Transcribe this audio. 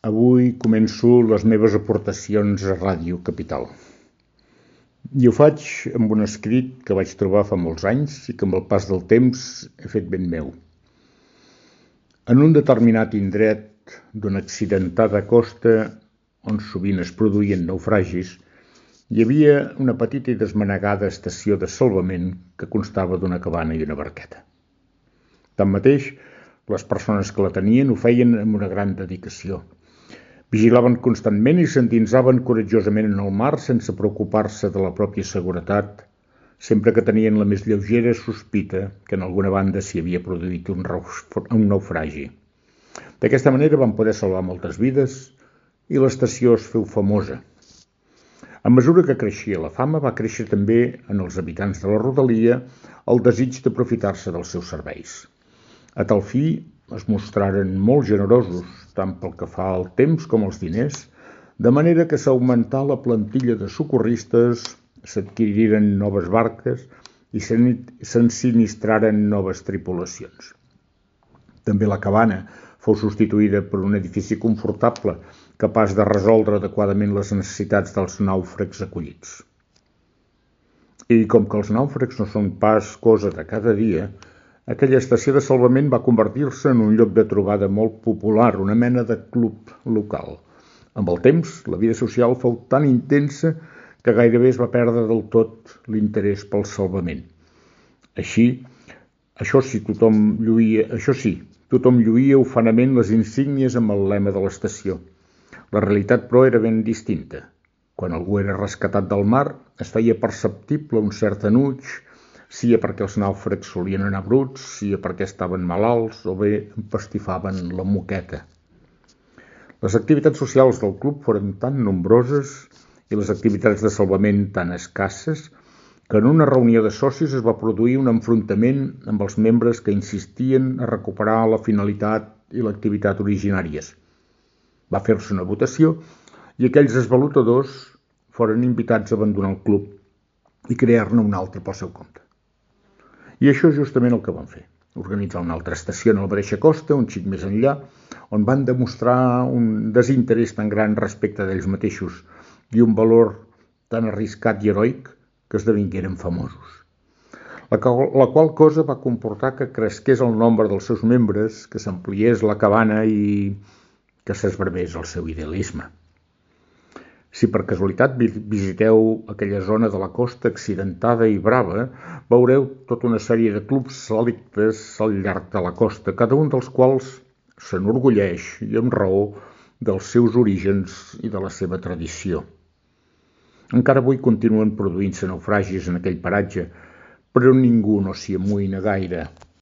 Avui començo les meves aportacions a Ràdio Capital. I ho faig amb un escrit que vaig trobar fa molts anys i que amb el pas del temps he fet ben meu. En un determinat indret d'una accidentada costa on sovint es produïen naufragis, hi havia una petita i desmanegada estació de salvament que constava d'una cabana i una barqueta. Tanmateix, les persones que la tenien ho feien amb una gran dedicació. Vigilaven constantment i s'endinsaven coratjosament en el mar sense preocupar-se de la pròpia seguretat, sempre que tenien la més lleugera sospita que en alguna banda s'hi havia produït un naufragi. D'aquesta manera van poder salvar moltes vides i l'estació es féu famosa. A mesura que creixia la fama, va créixer també en els habitants de la rodalia el desig d'aprofitar-se dels seus serveis. A tal fi, es mostraren molt generosos, tant pel que fa al temps com als diners, de manera que s'augmentà la plantilla de socorristes, s'adquiriren noves barques i s'ensinistraren noves tripulacions. També la cabana fou substituïda per un edifici confortable, capaç de resoldre adequadament les necessitats dels nàufrags acollits. I com que els nàufrags no són pas cosa de cada dia, aquella estació de salvament va convertir-se en un lloc de trobada molt popular, una mena de club local. Amb el temps, la vida social fou tan intensa que gairebé es va perdre del tot l'interès pel salvament. Això sí, tothom lluïa ufanament les insígnies amb el lema de l'estació. La realitat, però, era ben distinta. Quan algú era rescatat del mar, es feia perceptible un cert enuig, sia perquè els nàufrags solien anar bruts, sia perquè estaven malalts o bé empastifaven la moqueta. Les activitats socials del club foren tan nombroses i les activitats de salvament tan escasses que en una reunió de socis es va produir un enfrontament amb els membres que insistien a recuperar la finalitat i l'activitat originàries. Va fer-se una votació i aquells esvalotadors foren invitats a abandonar el club i crear-ne un altre pel seu compte. I això és justament el que van fer, organitzar una altra estació en la mateixa costa, un xic més enllà, on van demostrar un desinterès tan gran respecte d'ells mateixos i un valor tan arriscat i heroic que esdevingueren famosos. La qual cosa va comportar que cresqués el nombre dels seus membres, que s'ampliés la cabana i que s'esbarbés el seu idealisme. Si per casualitat visiteu aquella zona de la costa accidentada i brava, veureu tota una sèrie de clubs selectes al llarg de la costa, cada un dels quals s'enorgulleix, i amb raó, dels seus orígens i de la seva tradició. Encara avui continuen produint-se naufragis en aquell paratge, però ningú no s'hi amoïna gaire.